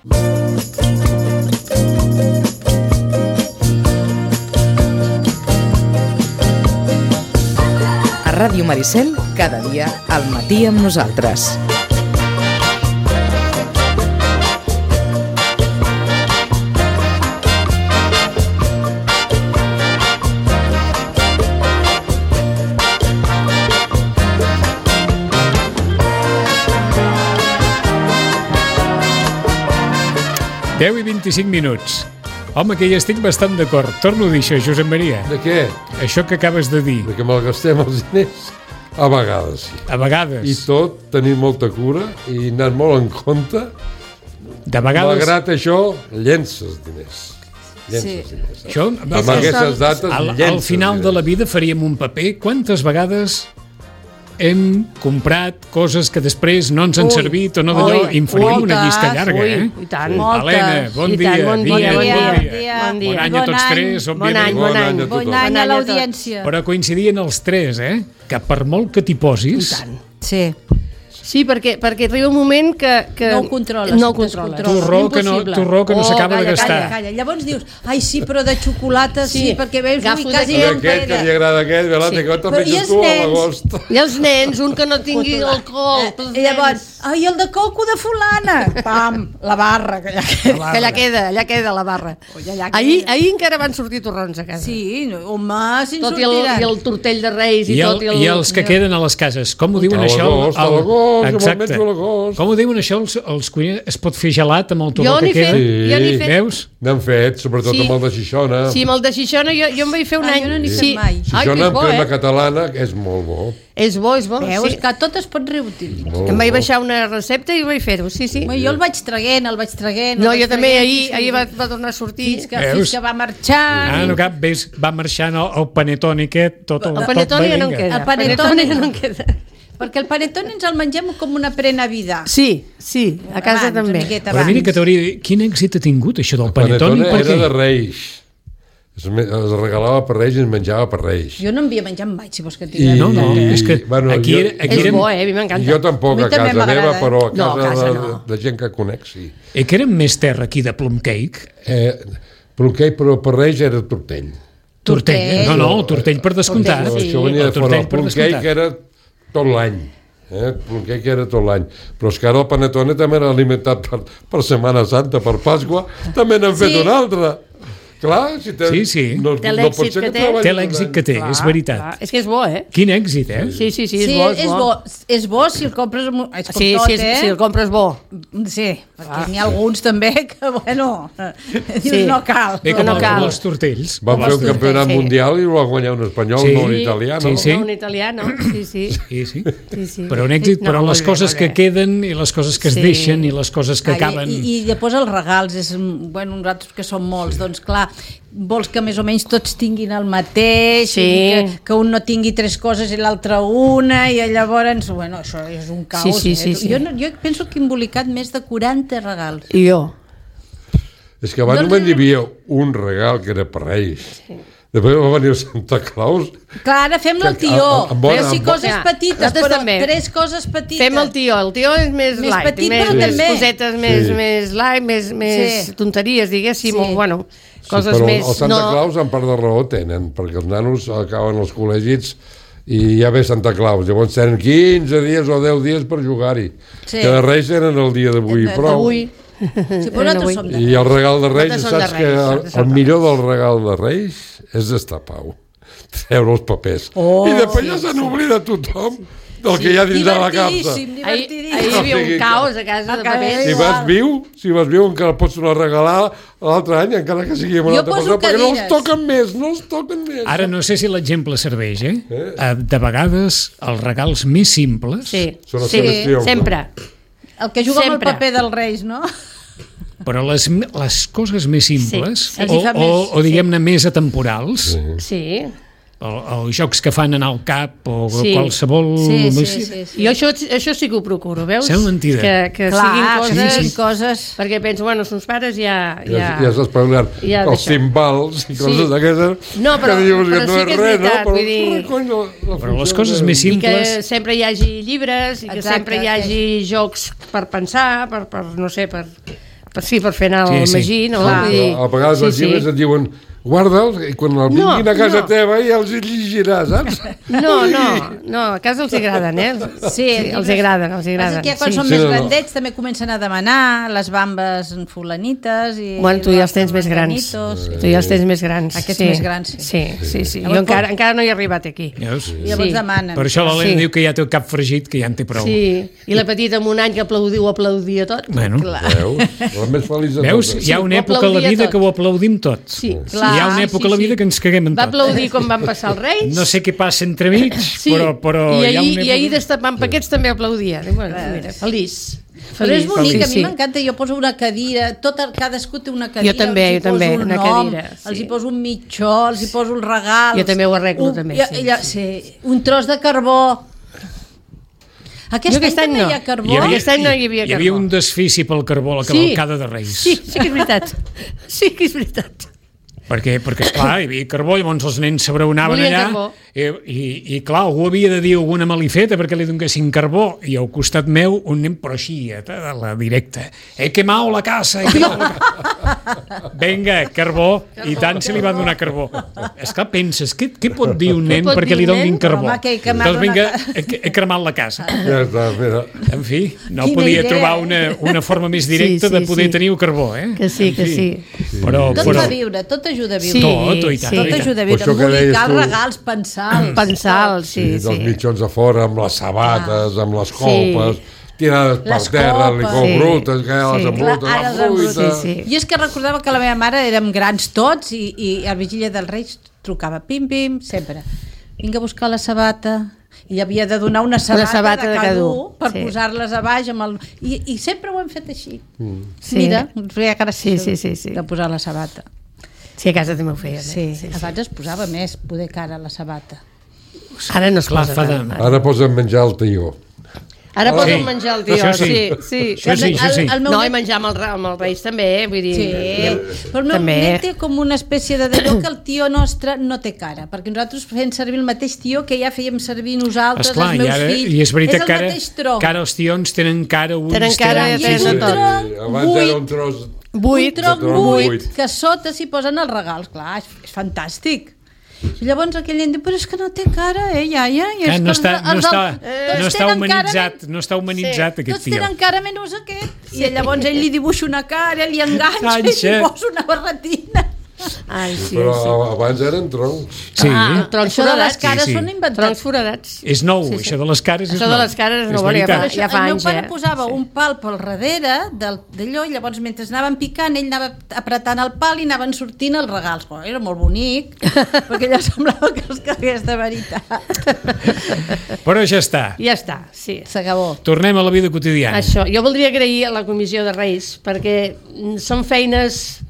A Ràdio Maricel, cada dia al matí amb nosaltres. Deu i 25 minuts. Home, que hi estic bastant d'acord. Torno a dir això, Josep Maria. De què? Això que acabes de dir. De que malgastem els diners? A vegades sí. A vegades. I tot, tenir molta cura i anar molt en compte. De vegades... Malgrat això, llences diners. Diners. Això, amb aquestes dates, al final de la vida faríem un paper. Quantes vegades hem comprat coses que després no ens han servit o no d'allò, i en faríem una llista llarga, I tant. Helena, bon dia. Bon dia. Bon any a tots tres, òbviament. Bon any a l'audiència. Però coincidien els tres, que per molt que t'hi posis... I tant. Sí, perquè arriba un moment que no ho controles. Torró que no s'acaba de gastar. Calla. Llavors dius, ai sí, però de xocolata sí, perquè veus, ui, quasi no em queda. Aquest que li agrada aquest, Belate, que te'l menges tu a l'agost. I els nens, un que no tingui alcohol. I llavors, ai, el de coco de fulana. Pam, la barra, que allà queda la barra. Ahir encara van sortir torrons a casa. Sí, home, si en sortiran. I el tortell de Reis i tot. I els que queden a les cases, com ho diuen això? Exacte. Com ho diuen això els cuiners? Es pot fer gelat amb el torró que queda? Jo n'he fet. Veus? N'han fet, sobretot amb el de Xixona. Sí, amb el de Xixona jo em vaig fer un any. Jo no n'he fet mai. Xixona amb crema catalana, que és molt bo. És bo. Veus que tot es pot reutilitzar. Em vaig baixar una recepta i vaig fer-ho, sí. Jo el vaig traguent. No, jo també ahir va tornar a sortir. Fins que va marxar. No cap, va marxant el panetone aquest, tot el panetone ja no en queda. El panetone ja no en queda. Perquè el panetone ens el mengem com una pre-Navidad. Sí, a casa també. Però mira que t'hauria dit, quin èxit ha tingut això del panetone? El panetone era de Reis. Es regalava per Reis i es menjava per Reis. Jo no en havia menjat mai, si vols que et digui. No, és que aquí és bo, a mi m'encanta. Jo tampoc a casa meva, però a casa de gent que conec, sí. Que érem més terra aquí de plum cake? Plum cake, però per Reis era tortell. Tortell? No, tortell per descomptat. Això venia de fora. El plum cake era tot l'any. El plum cake era tot l'any. Però és que ara el panetone també era alimentat per Setmana Santa, per Pasqua, també n'han fet un altre. Clar, si té... Sí. No pot ser que té l'èxit que té, és veritat. És que és bo, Quin èxit, Sí, és bo. És bo si el compres... Sí, si el compres bo. Sí, perquè n'hi ha alguns també que, bueno, dius no cal. Com els tortells. Van fer un campionat mundial i ho va guanyar un espanyol, no un italià, no? No un italià, no? Sí. Però un èxit, però les coses que queden i les coses que es deixen i les coses que acaben... I després els regals, bueno, nosaltres que som molts, doncs clar, vols que més o menys tots tinguin el mateix, que un no tingui tres coses i l'altre una, i llavors, bueno, això és un caos. Jo penso que he embolicat més de 40 regals. I jo? És que abans només hi havia un regal que era per Reis. Després va venir Santa Claus. Clar, ara fem-lo el tió. Coses petites, però tres coses petites. Fem el tió és més light, més cosetes més light, més tonteries, diguéssim, bueno... Però els Santa Claus en part de raó tenen, perquè els nanos acaben els col·legis i ja ve Santa Claus, llavors tenen 15 dies o 10 dies per jugar-hi, que de Reis tenen el dia d'avui prou. I el regal de Reis, saps que el millor del regal de Reis és destapar-ho, treure els papers, i després ja se n'oblida tothom del que hi ha dins de la capsa. Ahir hi havia un caos a casa de papers. Si vas viu encara pots tornar a regalar l'altre any, encara que sigui amb una altra persona, perquè no els toquen més. Ara no sé si l'exemple serveix, de vegades els regals més simples... Sí, sempre. El que juga amb el paper dels Reis, no? Però les coses més simples, o diguem-ne més atemporals... Sí. Els jocs que fan anar al cap o qualsevol... Jo això sí que ho procuro, veus? Sembla mentida. Que siguin coses... Perquè penso, bueno, els pares ja s'has parlat els timbals i coses d'aquestes... No, però sí que és veritat, vull dir... Però les coses més simples... I que sempre hi hagi llibres, i que sempre hi hagi jocs per pensar, per no sé, per... per fer anar el Magí, no? A vegades els llibres et diuen guarda'ls i quan el vinguin a casa teva ja els llegiràs, saps? No, a casa els agraden, Sí, els agraden. Que quan són més grandets també comencen a demanar les bambes fulanites i... Bueno, tu ja els tens més grans. Aquests més grans, sí. Jo encara no he arribat aquí. Llavors demanen. Per això l'Helena diu que ja té el cap fregit, que ja en té prou. Sí, i la petita amb un any que aplaudia tot. Bueno. Veus? La més feliç de totes. Veus? Hi ha una època a la vida que ho aplaudim tots. Sí, clar. Hi ha una època a la vida que ens caguem en tot. Va aplaudir quan van passar els Reis. No sé què passa entremig, però hi ha una època... I ahir destapant paquets també aplaudia. Mira, feliç. Però és bonic, a mi m'encanta, jo poso una cadira, cadascú té una cadira, jo també, una cadira, els hi poso un mitjó, els hi poso el regal. Jo també ho arreglo, també. Un tros de carbó. Aquest any també hi ha carbó. Aquest any no hi havia carbó. Hi havia un desfici pel carbó a la cavalcada de Reis. Sí que és veritat. Perquè esclar, hi havia carbó, llavors els nens s'abraonaven allà i clar, algú havia de dir alguna malifeta perquè li donessin carbó, i al costat meu un nen, però així, a la directa, he quemat la casa, venga, carbó, i tant se li va donar carbó. Esclar, penses, què pot dir un nen perquè li donin carbó? Doncs vinga, he cremat la casa. Ja està, mira. En fi, no podia trobar una forma més directa de poder tenir el carbó, Que sí. Tot va viure, tot ajuda a viure. Tot ajuda a viure. Embolicar regals, pensar, sí. Dels mitjons a fora, amb les sabates, amb les copes, tirades per terra, licor brutes, que ja les embrutes, la fruita... Jo és que recordava que la meva mare érem grans tots i a Vigília dels Reis trucava pim, sempre. Vinga a buscar la sabata... I havia de donar una sabata de cada un per posar-les a baix i sempre ho hem fet així. Mira, ens feia gràcia de posar la sabata. Sí, a casa també ho feia. Abans es posava més poder cara a la sabata. Ara no es posa. Ara posen menjar al tió. Ara poden menjar el tió, sí. No, i menjar amb els Reis també, vull dir... Sí, però el meu net té com una espècie de d'allò que el tió nostre no té cara, perquè nosaltres fem servir el mateix tió que ja fèiem servir nosaltres, els meus fills. I és veritat que ara els tions tenen cara, ulls... Tenen cara, tenen tot. Abans era un tros... buit, que sota s'hi posen els regals, clar, és fantàstic. I llavors aquell nen diu, però és que no té cara, iaia. No està humanitzat aquest tots tio. tenen cara menys aquest. I llavors ell li dibuixa una cara, li enganxa i li posa una barretina. Però abans eren troncs. Sí. Això de les cares són inventats. Troncs foradats. És nou, això de les cares és nou. Això de les cares és nou, ja fa anys. El meu pare posava un pal pel darrere d'allò, i llavors mentre anaven picant ell anava apretant el pal i anaven sortint els regals. Era molt bonic, perquè allò semblava que els cagués de veritat. Però ja està. Ja està, sí. S'acabó. Tornem a la vida quotidiana. Això, jo voldria agrair a la Comissió de Reis, perquè són feines...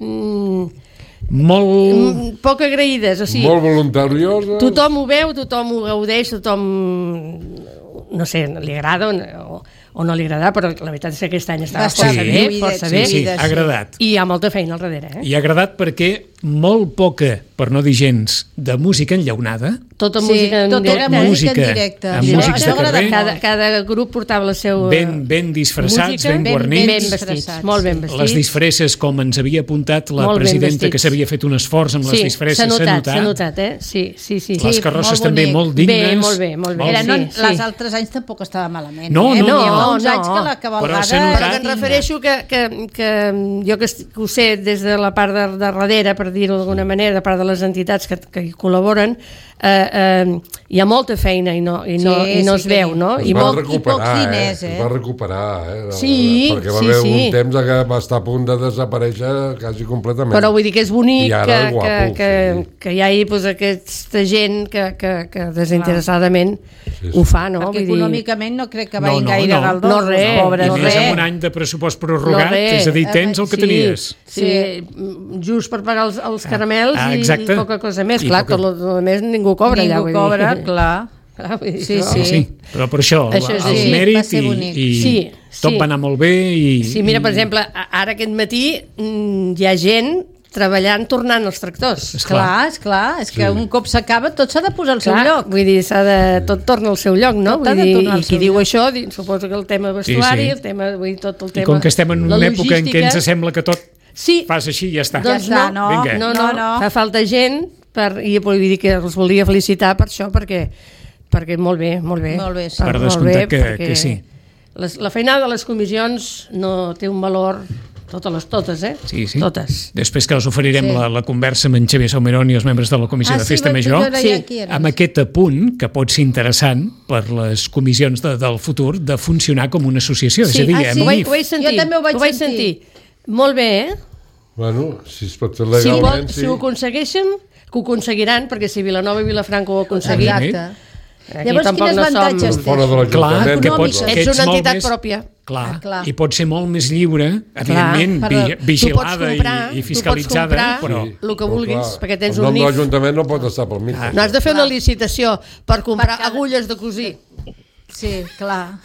molt poc agraïdes, o sigui, molt voluntarioses. Tothom ho veu, tothom ho gaudeix, tothom, no sé, li agrada o no li agrada, però la veritat és que aquest any estava força bé. Sí, ha agradat. I hi ha molta feina al darrere. I ha agradat perquè molt poca, per no dir gens, de música enllaunada. Tota música en directe. Amb músics de carrer. Cada grup portava la seva ben disfressats, ben guarnits. Ben vestits, molt ben vestits. Les disfresses, com ens havia apuntat la presidenta, que s'havia fet un esforç amb les disfresses, s'ha notat, Sí. Les carrosses també molt dignes. Molt bé. Les altres anys tampoc estava malament. No. Uns anys que la cavalgada... Però que em refereixo que jo que ho sé des de la part de darrere, per dir-ho d'alguna manera, de part de les entitats que hi col·laboren, hi ha molta feina i no es veu, no? Es va recuperar, perquè va haver un temps que va estar a punt de desaparèixer quasi completament. Però vull dir que és bonic que hi hagi aquesta gent que desinteressadament ho fa, no? Perquè econòmicament no crec que vagin gaire galdós. No, res. I més amb un any de pressupost prorrogat, és a dir, tens el que tenies. Sí, just per pagar els caramels i poca cosa més. Clar, tot el més ningú cobra allà. Ningú cobra, clar. Sí, però per això, el mèrit i tot va anar molt bé. Sí, mira, per exemple, ara aquest matí hi ha gent treballant, tornant els tractors. Esclar, és que un cop s'acaba tot s'ha de posar al seu lloc. Vull dir, tot torna al seu lloc, no? Vull dir, i qui diu això, suposo que el tema vestuari, el tema, vull dir, tot el tema... I com que estem en una època en què ens sembla que tot fas així i ja està. Doncs no, fa falta gent i vull dir que els volia felicitar per això, perquè molt bé. Per descomptat que sí. La feinada de les comissions no té un valor... Totes, Sí. Totes. Després que us oferirem la conversa amb en Xavier Salmerón i els membres de la Comissió de Festa Major, amb aquest apunt que pot ser interessant per les comissions del futur de funcionar com una associació. És a dir, ho vaig sentir. Jo també ho vaig sentir. Molt bé, Bueno, si es pot fer legalment... Si ho aconsegueixen, que ho aconseguiran, perquè si Vilanova i Vilafranca ho ha aconseguit... Exacte. Llavors, quins avantatges té? Clar, ets una entitat pròpia. Clar, i pot ser molt més lliure, evidentment, vigilada i fiscalitzada, però... el que vulguis, perquè tens un NIF. El nom NIF. de l'Ajuntament no pot estar pel mig. No has de fer una licitació per comprar agulles de cosir. Sí, clar.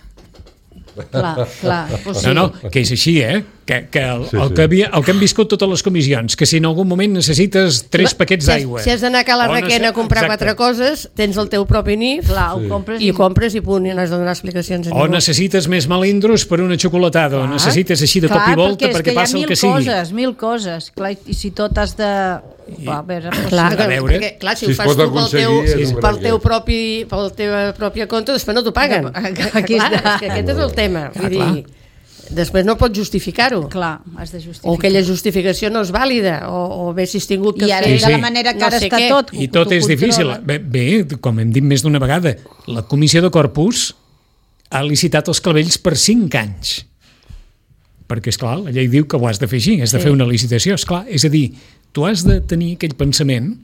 No, que és així, que el que hem viscut totes les comissions, que si en algun moment necessites 3 paquets d'aigua... Si has d'anar a Cala Requena a comprar 4 coses, tens el teu propi NIF, i ho compres i punt, i no has de donar explicacions a ningú. O necessites més melindros per una xocolatada, o necessites així de cop i volta perquè passa el que sigui. Clar, perquè mil coses, i si tot has de... Clar, si ho fas tu pel teu propi compte, després no t'ho paguen. Aquest és el tema. Vull dir, després no pots justificar-ho. Clar, has de justificar. O aquella justificació no és vàlida, o bé si has tingut que fer... I ara de la manera que ara està tot... I tot és difícil. Bé, com hem dit més d'una vegada, la Comissió de Corpus ha licitat els clavells per 5 anys. Perquè, esclar, la llei diu que ho has de fer així, has de fer una licitació, esclar. És a dir, tu has de tenir aquell pensament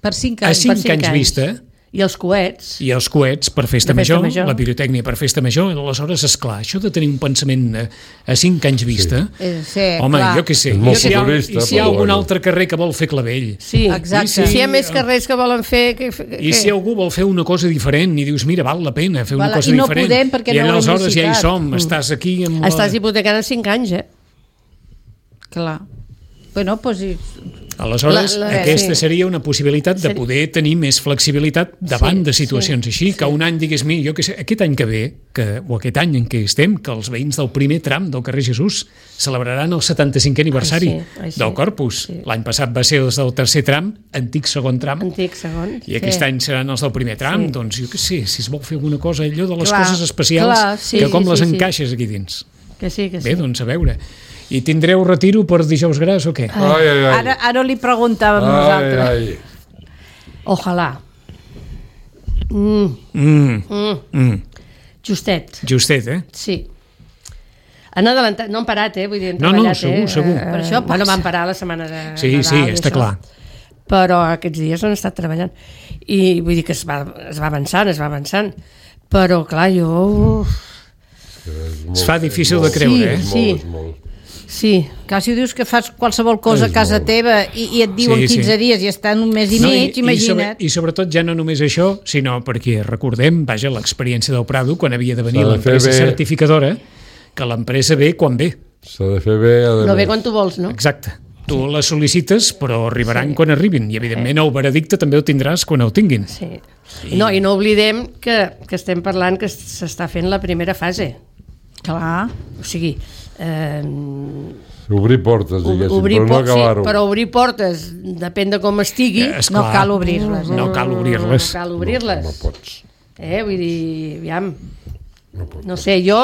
per 5 anys. A 5 anys vista. I els coets. I els coets per festa major, la pirotècnia per festa major, aleshores, esclar, això de tenir un pensament a 5 anys vista, home, jo què sé, i si hi ha algun altre carrer que vol fer clavell. Sí, exacte. Si hi ha més carrers que volen fer... I si algú vol fer una cosa diferent i dius, mira, val la pena fer una cosa diferent. I no podem perquè no ho hem licitat. I aleshores ja hi som, estàs aquí... Estàs hipotecant en 5 anys, Clar. Bueno, doncs... Aleshores, aquesta seria una possibilitat de poder tenir més flexibilitat davant de situacions així, que un any digués, jo què sé, aquest any que ve, o aquest any en què estem, que els veïns del primer tram del carrer Jesús celebraran el 75è aniversari del Corpus. L'any passat va ser els del tercer tram, antic segon tram, i aquest any seran els del primer tram, doncs jo què sé, si es vol fer alguna cosa, allò de les coses especials, que com les encaixes aquí dins. Bé, doncs a veure... I tindreu retiro per dijous gras o què? Ara li preguntàvem nosaltres. Ojalà. Justet, Sí. Han adelantat, no han parat, vull dir, han treballat. Segur. Per això van parar la setmana de Nadal. Sí, està clar. Però aquests dies han estat treballant. I vull dir que es va avançant. Però, clar, jo... Es fa difícil de creure, Sí. Clar, si dius que fas qualsevol cosa a casa teva i et diuen 15 dies i estan un mes i mig, imagina't. I sobretot ja no només això, sinó perquè recordem, l'experiència del Prado, quan havia de venir l'empresa certificadora, que l'empresa ve quan ve. S'ha de fer bé. No ve quan tu vols, no? Exacte. Tu la sol·licites, però arribaran quan arribin. I, evidentment, el veredicte també el tindràs quan el tinguin. Sí. No, i no oblidem que estem parlant que s'està fent la primera fase. Clar. O sigui... Obrir portes, diguéssim, però no acabar-ho. Però obrir portes, depèn de com estigui, no cal obrir-les. No cal obrir-les. No pots. Vull dir, aviam. No sé, jo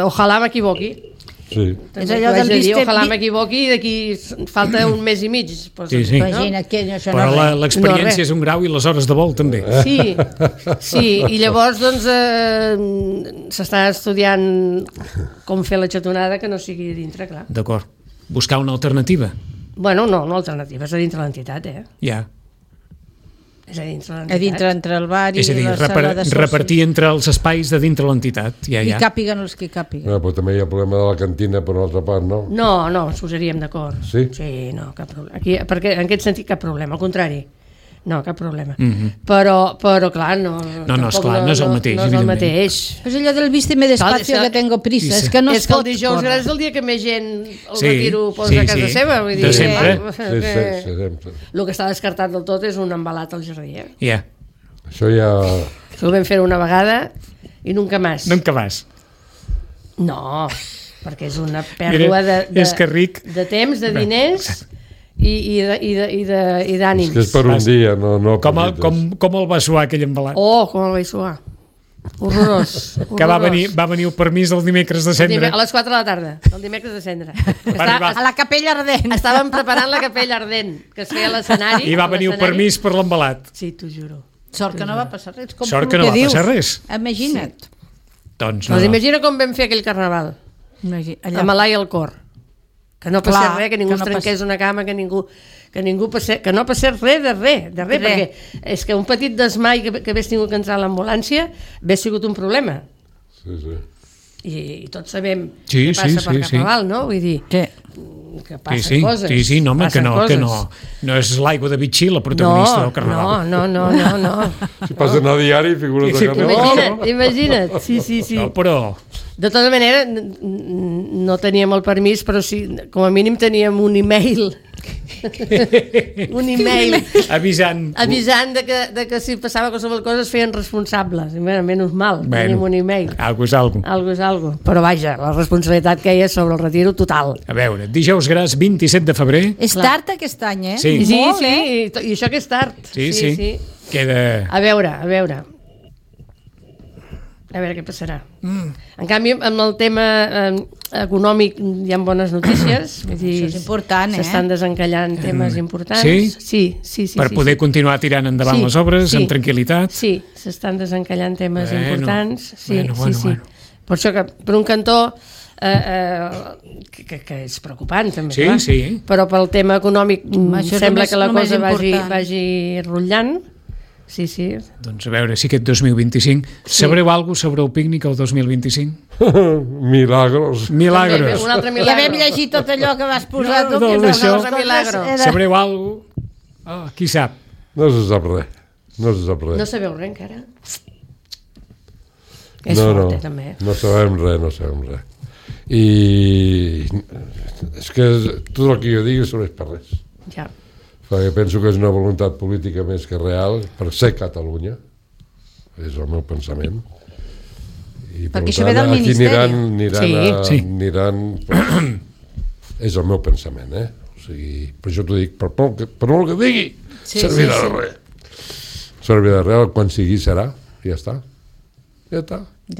ojalà m'equivoqui. Sí. És allò del ojalà m'equivoqui i d'aquí falta un mes i mig. Sí. Imagina't que això però l'experiència és un grau i les hores de vol també. Sí, i llavors doncs s'està estudiant com fer la xatonada que no sigui dintre, clar. D'acord. Buscar una alternativa. Bueno, no alternativa, és a dintre l'entitat, Ja. És a dintre l'entitat. A dintre entre el bar i la sala de socis. Repartir entre els espais de dintre l'entitat. I càpiguen els que càpiguen. Però també hi ha el problema de la cantina per una altra part, no? No, ens posaríem d'acord. Sí? Sí, no, cap problema. Aquí, perquè en aquest sentit cap problema, al contrari. No, cap problema. Però clar, no és el mateix. No és el mateix. És allò del vísteme despacio que tengo prisa. És que no es pot córrer. És que el dijous gran és el dia que més gent el retiro posa a casa seva. De sempre. El que està descartat del tot és un embalat al jardí. Això ja... Això ho vam fer una vegada i nunca més. Nunca més. No, perquè és una pèrdua de temps, de diners... I d'ànims. És que és per un dia, no com el va suar aquell embalat? Com el va suar. Horrorós. Que va venir el permís el dimecres de cendra. A les 4 de la tarda, el dimecres de cendra. A la capella ardent. Estàvem preparant la capella ardent, que es feia a l'escenari. I va venir el permís per l'embalat. Sí, t'ho juro. Sort que no va passar res. Sort que no va passar res. Imagina't. Doncs no. Imagina com vam fer aquell carnaval. Amb l'ai al cor. Que no passés res, que ningú es trenqués una cama, que no passés res de res, perquè és que un petit desmai que hagués tingut que entrar a l'ambulància hagués sigut un problema. Sí. I tots sabem què passa per Carnaval, no? Vull dir, que passen coses. Sí, no, que no és l'aigua de Vichy la protagonista del Carnaval. No. Si passen a diari, figures de Carnaval. Imagina't, sí. No, però... De tota manera, no teníem el permís, però sí, com a mínim teníem un e-mail. Avisant de que si passava qualsevol cosa es feien responsables. Menys mal, teníem un e-mail. Algo és algo. Però vaja, la responsabilitat que hi ha sobre el retiro total. A veure, dijous gras 27 de febrer. És tard aquest any, eh? Sí, i això que és tard. Sí. Queda... A veure què passarà. En canvi, amb el tema econòmic hi ha bones notícies. Això és important, S'estan desencallant temes importants. Sí. Per poder continuar tirant endavant les obres amb tranquil·litat. Sí, s'estan desencallant temes importants. Sí. Per això que, per un cantó, que és preocupant també, sí. Però pel tema econòmic sembla que la cosa vagi rotllant. Sí. Doncs a veure si aquest 2025... Sabreu alguna cosa sobre el pícnic el 2025? Milagros. Un altre milagro. Ja vam llegir tot allò que vas posar tu. Sabreu alguna cosa? Qui sap? No se sap res. No sabeu res encara? També. No sabem res. I és que tot el que jo digui serveix per res. Ja. Perquè penso que és una voluntat política més que real per ser Catalunya, és el meu pensament. I perquè això ve del Ministeri. Aniran és el meu pensament, O sigui, per això t'ho dic, per molt que digui, servirà de res. Servirà de res, quan sigui serà, ja està. Ja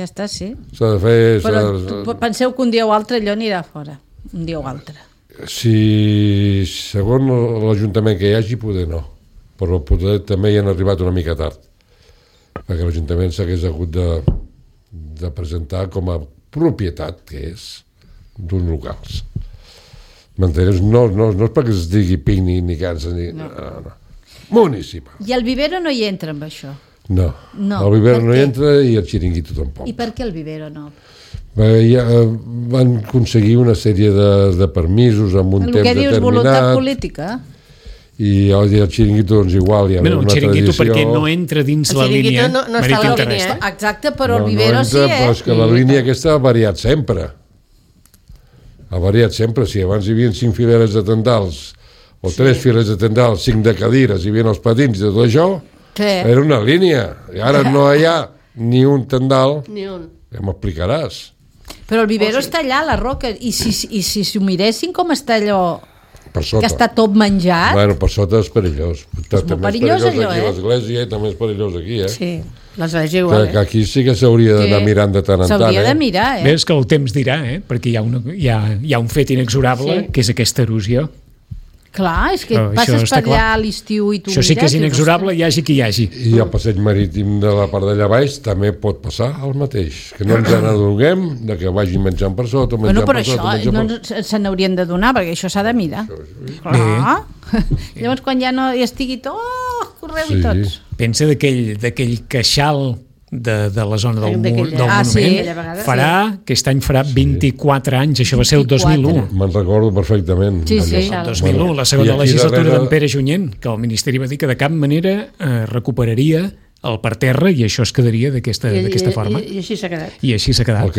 està, sí. S'ha de fer... Però penseu que un dia o altre allò anirà fora, un dia o altre. Si segons l'Ajuntament que hi hagi, poder no, però poder també hi han arribat una mica tard, perquè l'Ajuntament s'hagués hagut de presentar com a propietat que és d'uns locals. M'entens? No és perquè es digui pícnic ni cansa, no. Municipal. I el vivero no hi entra amb això? No. El vivero no hi entra i el xiringuito tampoc. I per què el vivero no? Van aconseguir una sèrie de permisos amb un temps determinat. El que dius, voluntat política. I el xiringuito, doncs igual, hi ha una tradició. El xiringuito perquè no entra dins la línia. El xiringuito no està a la línia. Exacte, però el vivero sí, Però és que la línia aquesta ha variat sempre. Si abans hi havia 5 fileres de tendals, o 3 fileres de tendals, 5 de cadires, hi havia els patins de tot això, era una línia. I ara no hi ha ni un tendal. Ni un. Ja m'explicaràs. Però el vivero està allà, a la roca, i si s'ho miressin com està allò per sota, que està tot menjat... Bueno, per sota és perillós. També perillós allò, aquí l'església i també és perillós aquí, Sí, l'església igual. Que aquí sí que s'hauria d'anar mirant de tant en tant. S'hauria de mirar, Ves que el temps dirà, perquè hi ha un fet inexorable, que és aquesta erosió. Clar, és que passes per allà a l'estiu i tu això sí que és inexorable, hi hagi qui hi hagi. I el passeig marítim de la part d'allà baix també pot passar el mateix, que no ens n'adonem de que vagin menjant per sota, menjant per sota. Però això no se n'haurien de donar, perquè això s'ha de mirar. Clar. Llavors quan ja no hi estigui tot, correu i tots. Pensa d'aquell queixal de la zona del monument. Sí. Aquest any farà 24 anys, això va ser el 2001. Me'n recordo perfectament. Sí. El 2001, la segona legislatura d'en Pere Junyent, que el Ministeri va dir que de cap manera recuperaria el parterre i això es quedaria d'aquesta forma. I així s'ha quedat. I així s'ha quedat. El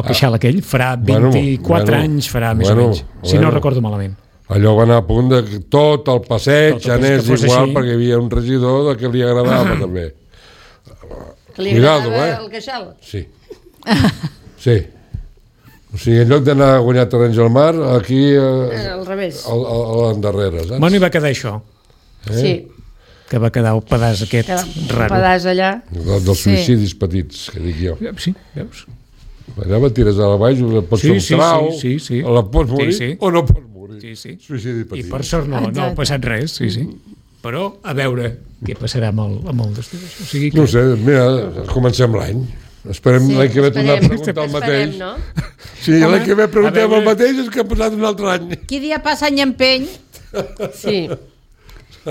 queixal aquell farà 24 anys, farà més o menys, si no recordo malament. Allò va anar a punt de que tot el passeig anés igual perquè hi havia un regidor que li agradava també. Que li agradava el queixal? Sí. O sigui, en lloc d'anar a guanyar terrenys al mar, aquí al revés, a l'endarrere, saps? Bueno, i va quedar això. Sí. Que va quedar el pedaç aquest raro. Un pedaç allà. Dels suïcidis petits, que dic jo. Sí, veus? Allà la tires a la baix, pots fer un trau, la pots morir o no pots morir. Suïcidi petit. I per sort no ha passat res, Però a veure què passarà amb el destí. O sigui que... No sé, mira, comencem l'any. Esperem l'any que ve tornar a preguntar el mateix. No? Sí, l'any que ve preguntem el mateix és que ha passat un altre any. Qui dia passa any empeny. Sí.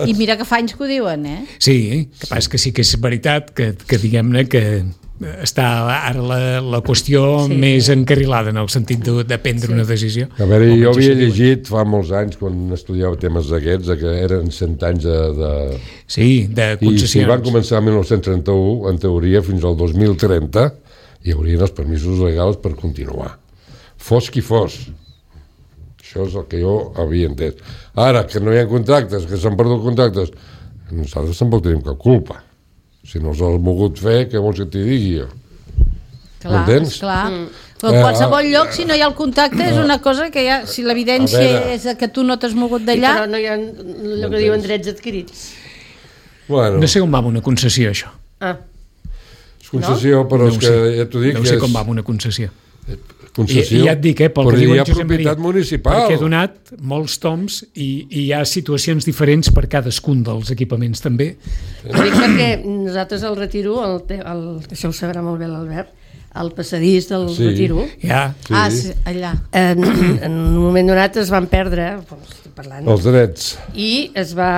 I mira que fa anys que ho diuen, Sí, que passa que sí que és veritat que diguem-ne que està ara la qüestió més encarrilada en el sentit de prendre una decisió. A veure, jo havia llegit fa molts anys, quan estudiava temes d'aquests, que eren 100 anys de... Sí, de concessions. I si van començar el 1931, en teoria, fins al 2030, hi haurien els permisos legals per continuar. Fos qui fos. Això és el que jo havia entès. Ara, que no hi ha contractes, que s'han perdut contractes, nosaltres tampoc tenim cap culpa. Si no els has volgut fer, què vols que t'hi digui jo? M'entens? Clar. Però en qualsevol lloc, si no hi ha el contacte, és una cosa que ja, si l'evidència és que tu no t'has mogut d'allà... Però no hi ha el que diuen drets adquirits. Bueno. No sé com va amb una concessió, això. És concessió, però és que ja t'ho dic... No sé com va amb una concessió. Concessió, I ja et dic, pel que diu en Josep Maria, municipal. perquè he donat molts toms i hi ha situacions diferents per cadascun dels equipaments també. Dic perquè nosaltres al Retiro, això ho sabrà molt bé l'Albert, al passadís del Retiro, allà. En un moment donat es van perdre, parlant, els drets. I es va,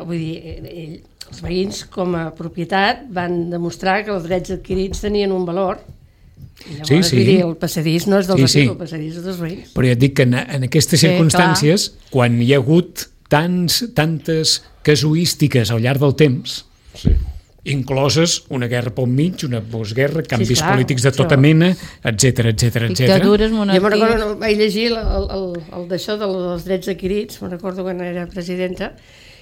vull dir, els veïns com a propietat van demostrar que els drets adquirits tenien un valor. Llavors, vull dir, el passadís no és del Retiro, el passadís és dels veïns. Però ja et dic que en aquestes circumstàncies, quan hi ha hagut tantes casuístiques al llarg del temps, incloses una guerra pel mig, una postguerra, canvis polítics de tota mena, etc. Dictadures, monarquies... Jo me'n recordo, vaig llegir el d'això dels drets adquirits, me'n recordo quan era presidenta,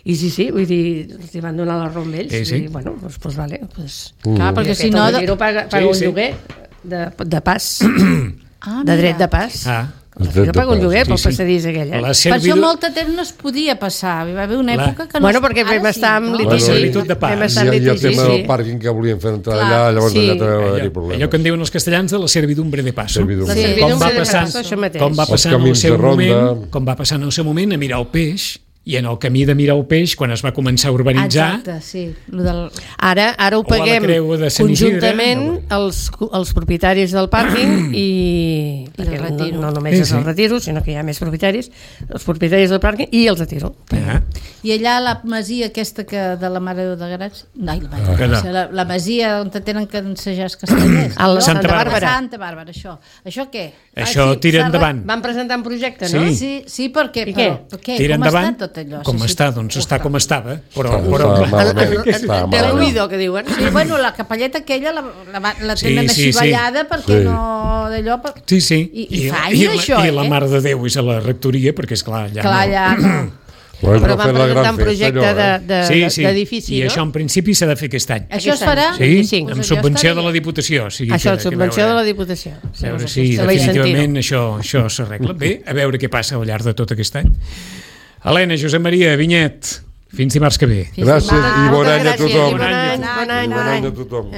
i sí, vull dir, els van donar la raó amb ells, i bueno, doncs vale. Clar, perquè si no... El Retiro paga un lloguer de pas, de dret de pas. Jo pago un lloguer pel passadís aquell. Per això molt temps no es podia passar. Hi va haver una època que no... Bueno, perquè vam estar amb litigi. La servitud de pas. I el tema del pàrquing que volien fer entrar allà, llavors allà també va haver-hi problemes. Allò que en diuen els castellans de la servidumbre de passo. Com va passar com va passar en el seu moment a mirar el peix, i en el camí de mirar el peix, quan es va començar a urbanitzar... Exacte, sí. Ara ho paguem conjuntament els propietaris del pàrquing i no només és el Retiro, sinó que hi ha més propietaris, els propietaris del pàrquing i el Retiro. I allà la masia aquesta de la Mare de Grats... La masia on tenen que ensejar els castellers. Santa Bàrbara. Santa Bàrbara, això. Això què? Això tira endavant. Van presentar un projecte, no? Sí, perquè... Tira endavant. Com està? Doncs està com estava, però té l'oïdo, que diuen. Sí, bueno, la capelleta aquella la tenen així ballada perquè no d'allò... Sí. I falla això, I la Mare de Déu és a la rectoria, perquè esclar, allà no... Però van presentar un projecte d'edifici, no? I això en principi s'ha de fer aquest any. Això es farà? Sí, amb subvenció de la Diputació. Això, subvenció de la Diputació. A veure si definitivament això s'arregla. Bé, a veure què passa al llarg de tot aquest any. Helena, Josep Maria, Vinyet, fins dimarts que ve. Gràcies i bon any a tothom. Bon any a tothom.